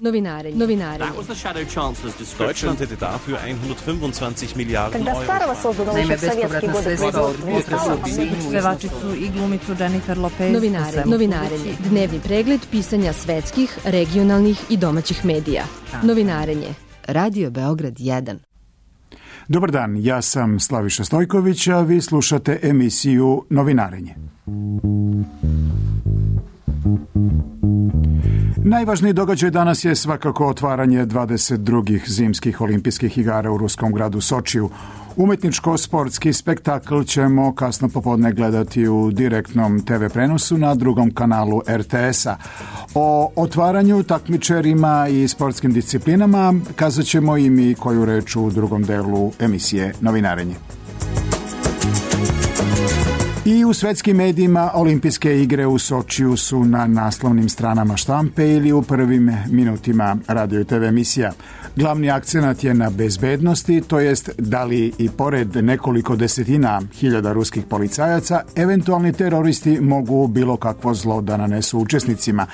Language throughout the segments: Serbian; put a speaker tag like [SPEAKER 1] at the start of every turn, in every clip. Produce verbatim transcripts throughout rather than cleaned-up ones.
[SPEAKER 1] Novinarenje. Novinarenje.
[SPEAKER 2] Deutschland hätte dafür hundertfünfundzwanzig Miliarden Euro.
[SPEAKER 3] Naime, bespovratna sredstva od pevačicu i glumicu Jennifer Lopez.
[SPEAKER 1] Novinarenje. Novinarenje. Dnevni pregled pisanja svetskih, regionalnih i domaćih medija. Novinarenje. Radio Beograd jedan.
[SPEAKER 4] Dobar dan, ja sam Slaviša Stojković, a vi slušate emisiju Novinarenje. Najvažniji događaj danas je svakako otvaranje dvadeset drugih zimskih olimpijskih igara u ruskom gradu Sočiju. Umetničko-sportski spektakl ćemo kasno popodne gledati u direktnom te ve prenosu na drugom kanalu er te es-a. O otvaranju, takmičarima i sportskim disciplinama kazat ćemo i mi koju reč u drugom delu emisije Novinarenje. I u svetskim medijima olimpijske igre u Sočiju su na naslovnim stranama štampe ili u prvim minutima radio i te ve emisija. Glavni akcenat je na bezbednosti, to jest da li i pored nekoliko desetina hiljada ruskih policajaca, eventualni teroristi mogu bilo kakvo zlo da nanesu učesnicima.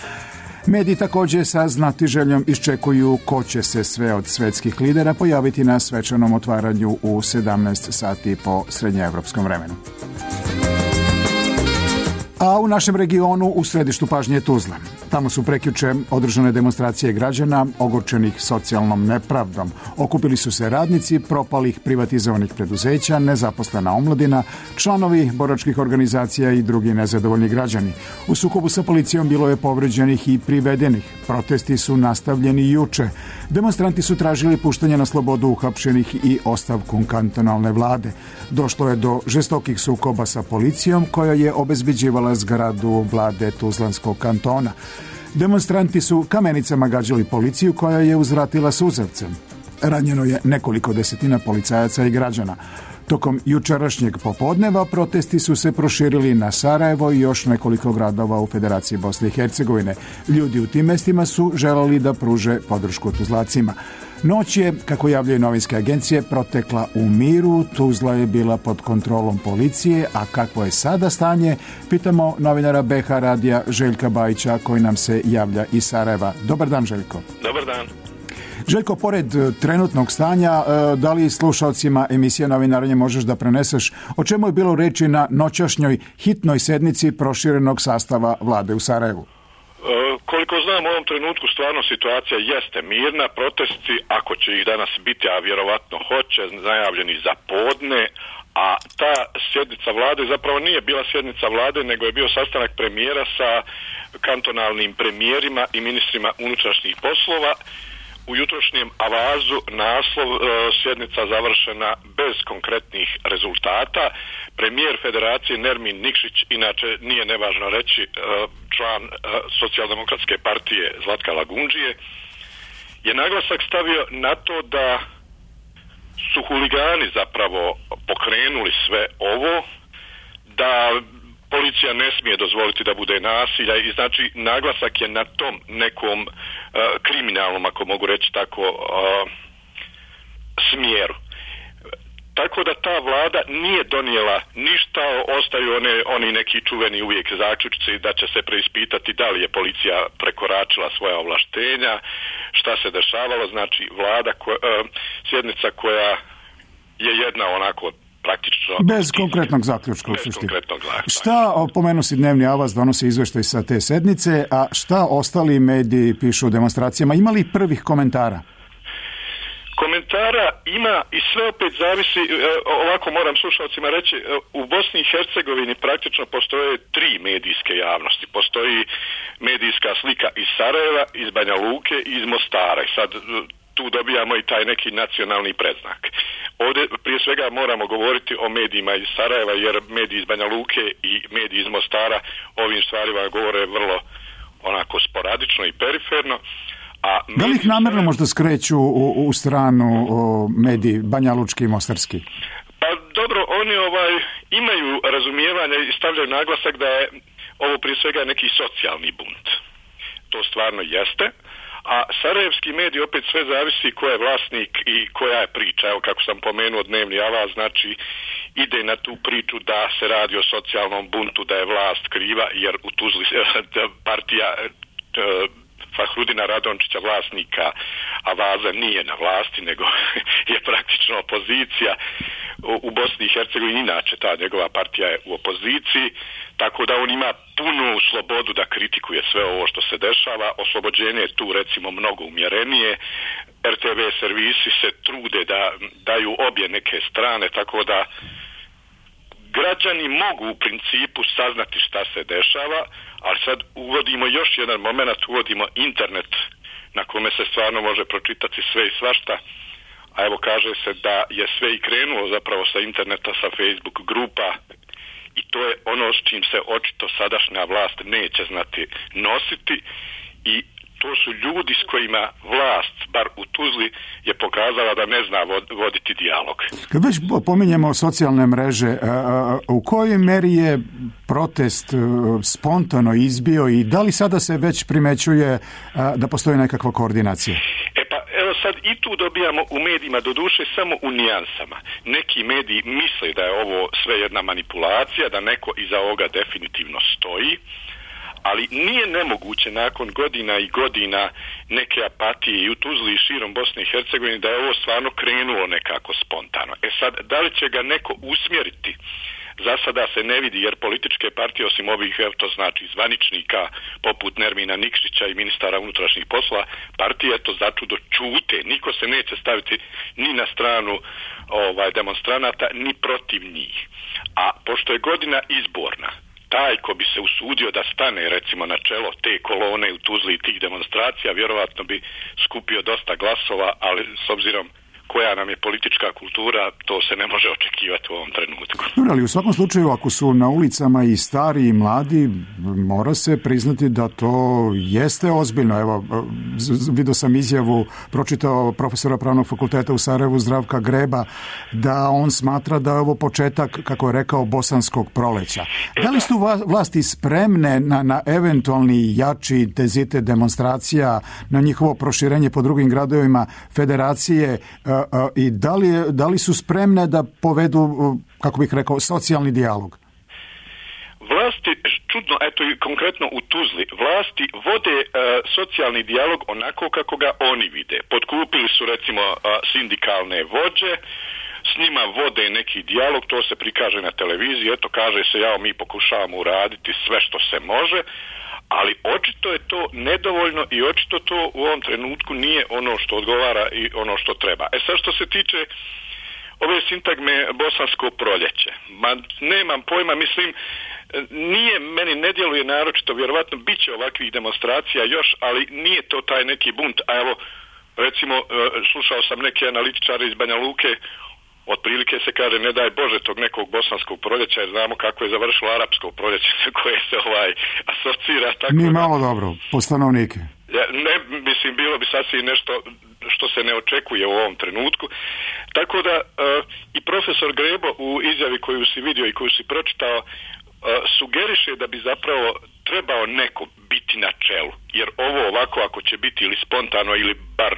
[SPEAKER 4] Mediji također sa znatiželjom iščekuju ko će se sve od svetskih lidera pojaviti na svečanom otvaranju u sedamnaest sati po srednjeevropskom vremenu. A u našem regionu u središtu pažnje je Tuzla. Tamo su prekjuče održane demonstracije građana ogorčenih socijalnom nepravdom. Okupili su se radnici propalih privatizovanih preduzeća, nezaposlena omladina, članovi boračkih organizacija i drugi nezadovoljni građani. U sukobu sa policijom bilo je povređenih i privedenih. Protesti su nastavljeni juče. Demonstranti su tražili puštanje na slobodu uhapšenih i ostavku kantonalne vlade. Došlo je do žestokih sukoba sa policijom koja je obezbeđivala zgradu vlade Tuzlanskog kantona. Demonstranti su kamenicama gađali policiju koja je uzvratila suzavcem. Ranjeno je nekoliko desetina policajaca i građana. Tokom jučerašnjeg popodneva protesti su se proširili na Sarajevo i još nekoliko gradova u Federaciji Bosne i Hercegovine. Ljudi u tim mestima su želeli da pruže podršku Tuzlacima. Noć je, kako javljaju novinske agencije, protekla u miru, Tuzla je bila pod kontrolom policije, a kakvo je sada stanje, pitamo novinara be ha radija Željka Bajića koji nam se javlja iz Sarajeva. Dobar dan, Željko.
[SPEAKER 5] Dobar dan.
[SPEAKER 4] Željko, pored trenutnog stanja, da li slušalcima emisije Novinarenje možeš da preneseš o čemu je bilo reči na noćašnjoj hitnoj sednici proširenog sastava vlade u Sarajevu?
[SPEAKER 5] Koliko znam, u ovom trenutku stvarno situacija jeste mirna. Protesti, ako će ih danas biti, a vjerovatno hoće, najavljeni za podne, a ta sjednica vlade zapravo nije bila sjednica vlade, nego je bio sastanak premijera sa kantonalnim premijerima i ministrima unutrašnjih poslova. U jutrošnjem avazu naslov e, sjednica završena bez konkretnih rezultata. Premijer Federacije Nermin Nikšić, inače nije nevažno reći e, član e, Socijaldemokratske partije Zlatka Lagundžije, je naglasak stavio na to da su huligani zapravo pokrenuli sve ovo, da policija ne smije dozvoliti da bude nasilja i znači naglasak je na tom nekom uh, kriminalnom, ako mogu reći tako, uh, smjeru. Tako da ta vlada nije donijela ništa, ostaju one, oni neki čuveni uvijek zaključci da će se preispitati da li je policija prekoračila svoja ovlaštenja, šta se dešavalo, znači vlada, koja, uh, sjednica koja je jedna onako praktično...
[SPEAKER 4] Bez konkretnog zaključka.
[SPEAKER 5] Bez konkretnog zaključka.
[SPEAKER 4] Šta, pomenu si dnevni avaz, donosi izveštaj sa te sednice, a šta ostali mediji pišu o demonstracijama? Ima li prvih komentara?
[SPEAKER 5] Komentara ima i sve opet zavisi, ovako moram slušalcima reći, u Bosni i Hercegovini praktično postoje tri medijske javnosti. Postoji medijska slika iz Sarajeva, iz Banja Luke i iz Mostara. I sad tu dobijamo i taj neki nacionalni predznak. Ovdje prije svega moramo govoriti o medijima iz Sarajeva, jer mediji iz Banja Luke i mediji iz Mostara ovim stvarima govore vrlo onako sporadično i periferno. A
[SPEAKER 4] da li ih namjerno možda skreću u, u stranu o, mediji Banja Lučki i Mostarski?
[SPEAKER 5] Pa dobro, oni ovaj imaju razumijevanje i stavljaju naglasak da je ovo prije svega neki socijalni bunt. To stvarno jeste. A sarajevski mediji opet sve zavisi ko je vlasnik i koja je priča. Evo kako sam pomenuo dnevni avaz, znači ide na tu priču da se radi o socijalnom buntu, da je vlast kriva jer u Tuzli partija Fahrudina Radončića, vlasnika Avaza, nije na vlasti, nego je praktično opozicija u Bosni i Hercegovini. Inače, ta njegova partija je u opoziciji, tako da on ima punu slobodu da kritikuje sve ovo što se dešava. Oslobođenje je tu, recimo, mnogo umjerenije. er te ve servisi se trude da daju obje neke strane, tako da građani mogu u principu saznati šta se dešava, ali sad uvodimo još jedan moment, uvodimo internet na kome se stvarno može pročitati sve i svašta, a evo kaže se da je sve i krenulo zapravo sa interneta, sa Facebook grupa, i to je ono s čim se očito sadašnja vlast neće znati nositi, i to su ljudi s kojima vlast, bar u Tuzli, je pokazala da ne zna voditi dijalog.
[SPEAKER 4] Kad već pominjemo socijalne mreže, u kojoj meri je protest spontano izbio i da li sada se već primećuje da postoji nekakva koordinacija?
[SPEAKER 5] E pa, evo sad i tu dobijamo u medijima, doduše samo u nijansama. Neki mediji misle da je ovo sve jedna manipulacija, da neko iza ovoga definitivno stoji, ali nije nemoguće nakon godina i godina neke apatije i u Tuzli i širom Bosne i Hercegovine da je ovo stvarno krenulo nekako spontano. E sad, da li će ga neko usmjeriti? Za sada se ne vidi, jer političke partije, osim ovih, to znači zvaničnika poput Nermina Nikšića i ministara unutrašnjih poslova, partije to začudo čute. Niko se neće staviti ni na stranu ovaj, demonstranata, ni protiv njih. A pošto je godina izborna, taj ko bi se usudio da stane recimo na čelo te kolone u Tuzli i tih demonstracija, vjerovatno bi skupio dosta glasova, ali s obzirom koja nam je politička kultura, to se ne može očekivati u ovom trenutku.
[SPEAKER 4] Dobro, ali u svakom slučaju, ako su na ulicama i stari i mladi, mora se priznati da to jeste ozbiljno. Evo, vidio sam izjavu, pročitao profesora Pravnog fakulteta u Sarajevu, Zdravka Greba, da on smatra da je ovo početak, kako je rekao, bosanskog proleća. Da li su vlasti spremne na, na eventualni jači intenzitet demonstracija, na njihovo proširenje po drugim gradovima federacije, i da li, da li su spremne da povedu, kako bih rekao, socijalni dijalog?
[SPEAKER 5] Vlasti, čudno, eto i konkretno u Tuzli, vlasti vode uh, socijalni dijalog onako kako ga oni vide. Potkupili su recimo uh, sindikalne vođe, s njima vode neki dijalog, to se prikaže na televiziji, eto kaže se, ja mi pokušavamo uraditi sve što se može, ali očito je to nedovoljno i očito to u ovom trenutku nije ono što odgovara i ono što treba. E sad što se tiče ove sintagme bosansko proljeće, ma nemam pojma, mislim, nije, meni ne djeluje naročito, vjerovatno bit će ovakvih demonstracija još, ali nije to taj neki bunt. A evo, recimo, slušao sam neke analitičare iz Banja Luke, otprilike se kaže, ne daj Bože tog nekog bosanskog proljeća, jer znamo kako je završilo arapsko proljeće koje se ovaj asocira. Tako
[SPEAKER 4] nije malo dobro, po stanovnike.
[SPEAKER 5] Ja, ne, mislim, bilo bi sasvim nešto što se ne očekuje u ovom trenutku. Tako da uh, i profesor Grebo u izjavi koju si vidio i koju si pročitao, uh, sugeriše da bi zapravo trebao neko biti na čelu. Jer ovo ovako, ako će biti ili spontano ili bar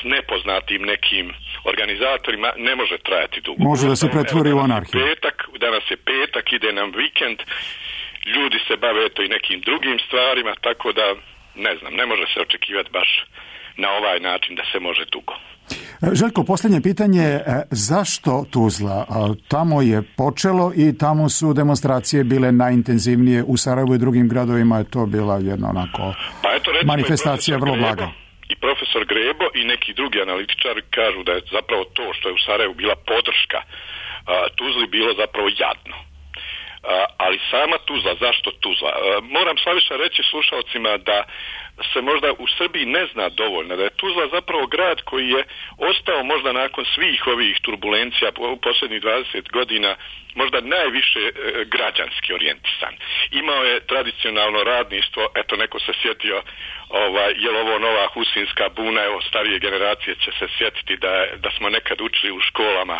[SPEAKER 5] s nepoznatim nekim organizatorima, ne može trajati dugo.
[SPEAKER 4] Može da se pretvori u anarhiju.
[SPEAKER 5] Petak, danas je petak, ide nam vikend, ljudi se bave eto i nekim drugim stvarima, tako da, ne znam, ne može se očekivati baš na ovaj način da se može dugo.
[SPEAKER 4] Željko, posljednje pitanje, zašto Tuzla? Tamo je počelo i tamo su demonstracije bile najintenzivnije, u Sarajevu i drugim gradovima je to bila jedna onako
[SPEAKER 5] pa eto, recimo,
[SPEAKER 4] manifestacija vrlo
[SPEAKER 5] Grebo,
[SPEAKER 4] blaga.
[SPEAKER 5] I profesor Grebo i neki drugi analitičari kažu da je zapravo to što je u Sarajevu bila podrška a, Tuzli bilo zapravo jadno. A, ali sama Tuzla, zašto Tuzla? A, moram Slaviša reći slušalcima da se možda u Srbiji ne zna dovoljno, da je Tuzla zapravo grad koji je ostao možda nakon svih ovih turbulencija u posljednjih dvadeset godina možda najviše e, građanski orijentisan. Imao je tradicionalno radništvo, eto neko se sjetio, ovaj, je li ovo nova husinska buna, evo starije generacije će se sjetiti da, da smo nekad učili u školama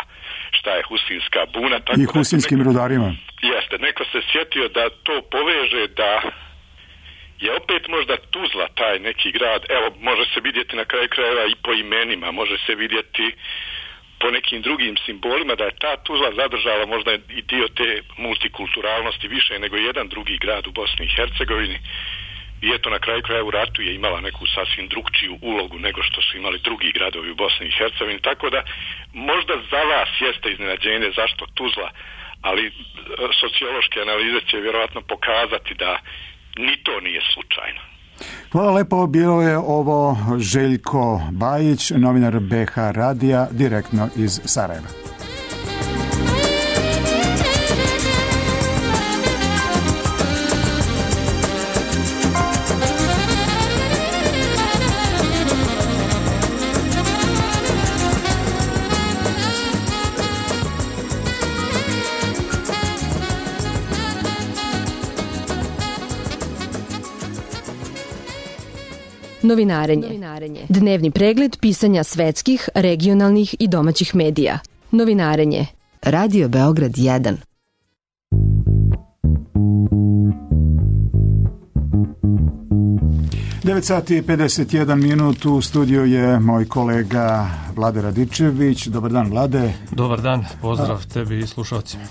[SPEAKER 5] šta je husinska buna. Tako
[SPEAKER 4] i husinskim neko, rudarima.
[SPEAKER 5] Jeste, neko se sjetio da to poveže, da je opet možda Tuzla taj neki grad, evo može se vidjeti na kraju krajeva i po imenima, može se vidjeti po nekim drugim simbolima da je ta Tuzla zadržala možda i dio te multikulturalnosti više nego jedan drugi grad u Bosni i Hercegovini. i eto na kraju kraja u ratu je imala neku sasvim drugčiju ulogu nego što su imali drugi gradovi u Bosni i Hercegovini, tako da možda za vas jeste iznenađenje zašto Tuzla, ali sociološke analize će vjerojatno pokazati da ni to nije slučajno.
[SPEAKER 4] Hvala lepo, bio je ovo Željko Bajić, novinar B H radija, direktno iz Sarajeva.
[SPEAKER 1] Novinarenje. Novinarenje. Dnevni pregled pisanja svetskih, regionalnih i domaćih medija. Novinarenje. Radio Beograd jedan.
[SPEAKER 4] devet sati i pedeset jedan minut, u studiju je moj kolega Vlade Radičević. Dobar dan, Vlade.
[SPEAKER 6] Dobar dan, pozdrav tebi i slušalcima.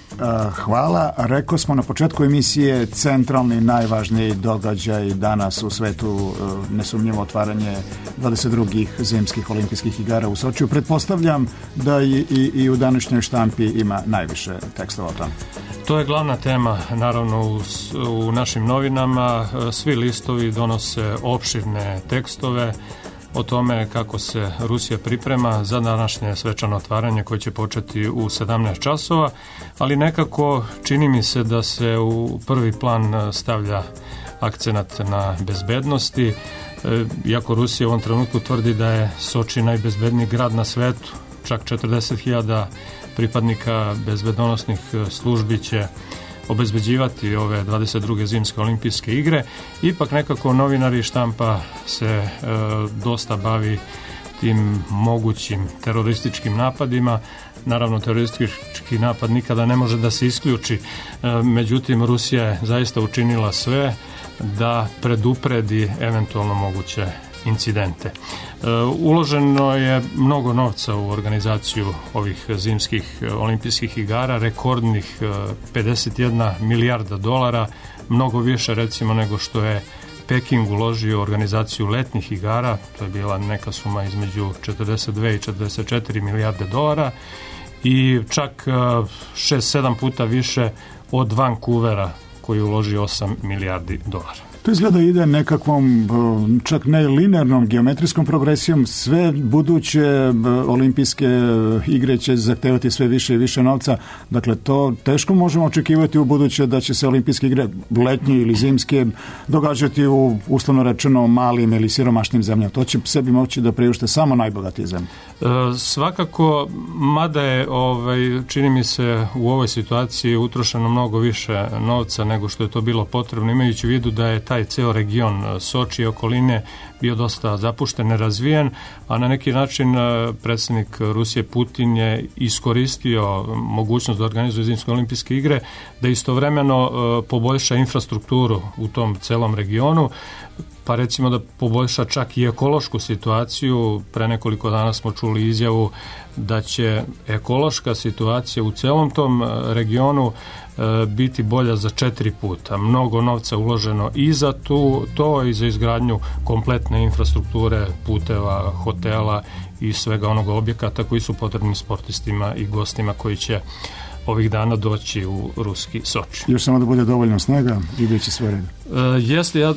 [SPEAKER 4] Hvala. Rekao smo na početku emisije centralni, najvažniji događaj danas u svetu, nesumnjivo otvaranje dvadeset drugih zimskih olimpijskih igara u Sočiju. Pretpostavljam da i, i, i u današnjoj štampi ima najviše tekstova o tome.
[SPEAKER 6] To je glavna tema, naravno, u, u našim novinama. Svi listovi donose opširne tekstove o tome kako se Rusija priprema za današnje svečano otvaranje koje će početi u sedamnaest časova, ali nekako čini mi se da se u prvi plan stavlja akcenat na bezbednosti, iako Rusija u ovom trenutku tvrdi da je Soči najbezbedniji grad na svetu, čak četrdeset hiljada pripadnika bezbednosnih službi će obezbeđivati ove dvadeset druge zimske olimpijske igre. Ipak nekako novinari štampa se e, dosta bavi tim mogućim terorističkim napadima. Naravno, teroristički napad nikada ne može da se isključi, e, međutim Rusija je zaista učinila sve da predupredi eventualno moguće incidente. E, uloženo je mnogo novca u organizaciju ovih zimskih olimpijskih igara, rekordnih pedeset jedna milijarda dolara, mnogo više recimo nego što je Peking uložio u organizaciju letnjih igara, to je bila neka suma između četrdeset dve i četrdeset četiri milijarde dolara i čak šest sedam puta više od Vancouvera koji uloži osam milijardi dolara.
[SPEAKER 4] To izgleda ide nekakvom, čak ne linearnom geometrijskom progresijom. Sve buduće olimpijske igre će zahtevati sve više i više novca. Dakle, to teško možemo očekivati u buduće da će se olimpijske igre, letnje ili zimske, događati u, uslovno rečeno, malim ili siromašnim zemljama. To će sebi moći da priušte samo najbogatije zemlje.
[SPEAKER 6] E, svakako, mada je, ovaj, čini mi se, u ovoj situaciji utrošeno mnogo više novca nego što je to bilo potrebno, imajući u vidu da je taj ceo region Soči i okoline bio dosta zapušten, nerazvijen, a na neki način predsjednik Rusije Putin je iskoristio mogućnost da organizuje zimske olimpijske igre, da istovremeno poboljša infrastrukturu u tom celom regionu, pa recimo da poboljša čak i ekološku situaciju. Pre nekoliko dana smo čuli izjavu da će ekološka situacija u celom tom regionu biti bolja za četiri puta. Mnogo novca uloženo i za tu, to i za izgradnju kompletne infrastrukture, puteva, hotela i svega onog objekata koji su potrebni sportistima i gostima koji će ovih dana doći u ruski Soči.
[SPEAKER 4] Još samo da bude dovoljno snega i bit će sve red.
[SPEAKER 6] E, jeste, ja,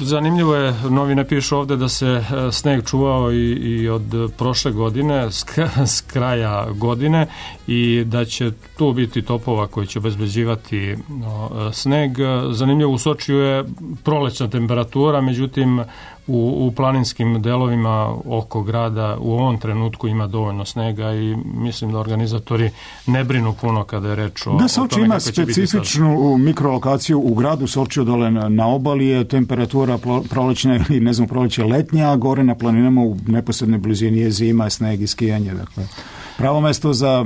[SPEAKER 6] zanimljivo je, novine pišu ovde da se sneg čuvao i, i od prošle godine, s, s kraja godine, i da će tu biti topova koji će obezbeđivati no, sneg. Zanimljivo, u Sočiju je prolećna temperatura, međutim u, u planinskim delovima oko grada u ovom trenutku ima dovoljno snega i mislim da organizatori ne brinu puno kada je reč o,
[SPEAKER 4] da,
[SPEAKER 6] o tome
[SPEAKER 4] ima specifičnu mikrolokaciju u gradu Sočiju, dole na, na obali je temperatura prolećna ili ne znam proleće letnja, a gore na planinama u neposrednoj blizini je zima, sneg i skijanje. Dakle, pravo mesto za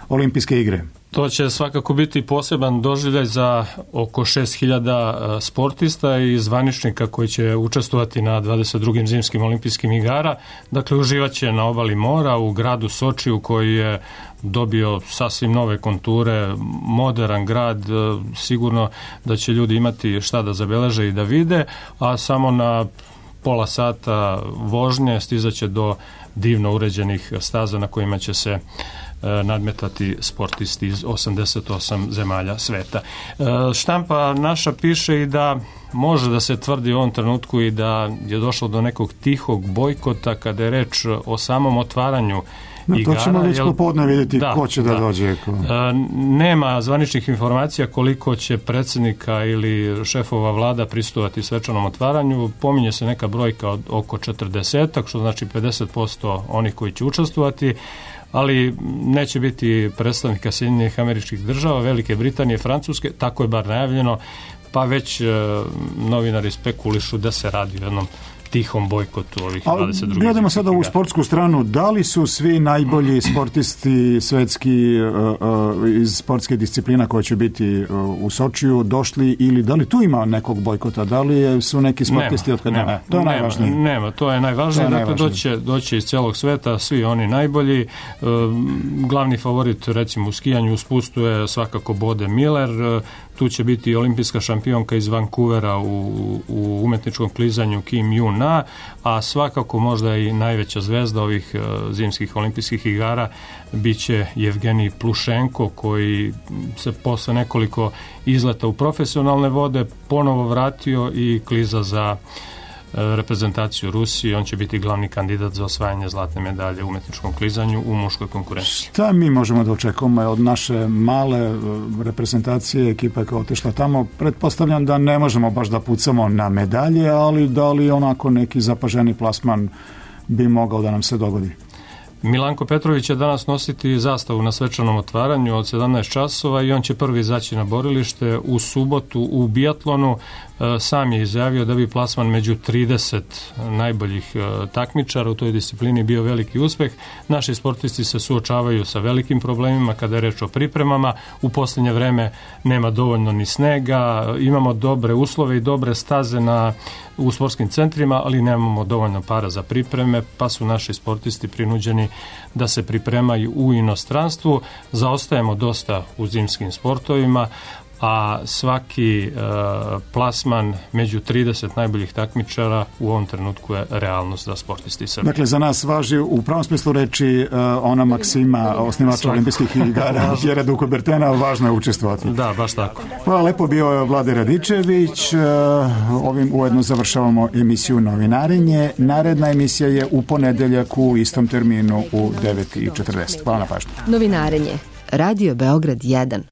[SPEAKER 4] olimpijske igre.
[SPEAKER 6] To će svakako biti poseban doživljaj za oko šest hiljada sportista i zvaničnika koji će učestvovati na dvadeset drugim zimskim olimpijskim igara. Dakle, uživaće na obali mora u gradu Sočiju koji je dobio sasvim nove konture, modern grad, sigurno da će ljudi imati šta da zabeleže i da vide, a samo na pola sata vožnje stizaće do divno uređenih staza na kojima će se nadmetati sportisti iz osamdeset osam zemalja sveta. Štampa naša piše i da može da se tvrdi u ovom trenutku i da je došlo do nekog tihog bojkota kada je reč o samom otvaranju
[SPEAKER 4] no,
[SPEAKER 6] igara.
[SPEAKER 4] To ćemo već popodne vidjeti
[SPEAKER 6] da,
[SPEAKER 4] ko će da, da dođe. Ko...
[SPEAKER 6] Nema zvaničnih informacija koliko će predsjednika ili šefova vlada prisustvovati svečanom otvaranju. Pominje se neka brojka od oko četrdesetak, što znači pedeset posto onih koji će učestvovati, ali neće biti predstavnika Sjedinjenih Američkih Država, Velike Britanije, Francuske, tako je bar najavljeno, pa već e, novinari spekulišu da se radi o jednom tihom bojkotu ovih dvadeset drugih.
[SPEAKER 4] Gledamo sada ovu sportsku stranu. Da li su svi najbolji sportisti svetski uh, uh, iz sportske disciplina koje će biti uh, u Sočiju došli ili da li tu ima nekog bojkota? Da li su neki sportisti
[SPEAKER 6] nema,
[SPEAKER 4] od kada?
[SPEAKER 6] Nema,
[SPEAKER 4] ne, to je
[SPEAKER 6] nema,
[SPEAKER 4] najvažnije.
[SPEAKER 6] Nema, to je najvažnije. To je dakle, doće, doće iz celog sveta, svi oni najbolji. Uh, glavni favorit, recimo, u skijanju u spustu je svakako Bode Miller. Uh, tu će biti olimpijska šampionka iz Vancouvera u, u umetničkom klizanju Kim Jun-na, a svakako možda i najveća zvezda ovih uh, zimskih olimpijskih igara biće Jevgenij Plušenko, koji se posle nekoliko izleta u profesionalne vode ponovo vratio i kliza za reprezentaciju Rusije. On će biti glavni kandidat za osvajanje zlatne medalje u umetničkom klizanju u muškoj konkurenciji.
[SPEAKER 4] Šta mi možemo da očekujemo od naše male reprezentacije, ekipa koja je otišla tamo? Pretpostavljam da ne možemo baš da pucamo na medalje, ali da li onako neki zapaženi plasman bi mogao da nam se dogodi?
[SPEAKER 6] Milanko Petrović će danas nositi zastavu na svečanom otvaranju od sedamnaest časova i on će prvi izaći na borilište. U subotu u bijatlonu sam je izjavio da bi plasman među trideset najboljih takmičara u toj disciplini bio veliki uspeh. Naši sportisti se suočavaju sa velikim problemima kada je reč o pripremama. U posljednje vreme nema dovoljno ni snega, imamo dobre uslove i dobre staze na u sportskim centrima, ali nemamo dovoljno para za pripreme, pa su naši sportisti prinuđeni da se pripremaju u inostranstvu. Zaostajemo dosta u zimskim sportovima, a svaki e, plasman među trideset najboljih takmičara u ovom trenutku je realnost za sportisti Srbije.
[SPEAKER 4] Dakle, za nas važi u pravom smislu reči e, ona maksima osnivača olimpijskih igara Pjera de Coubertina, važno je učestvovati.
[SPEAKER 6] Da, baš tako.
[SPEAKER 4] Hvala lepo, bio je Vlade Radičević. E, ovim ujedno završavamo emisiju Novinarenje. Naredna emisija je u ponedeljak u istom terminu u devet i četrdeset. Hvala na pažnju.
[SPEAKER 1] Novinarenje. Radio Beograd jedan.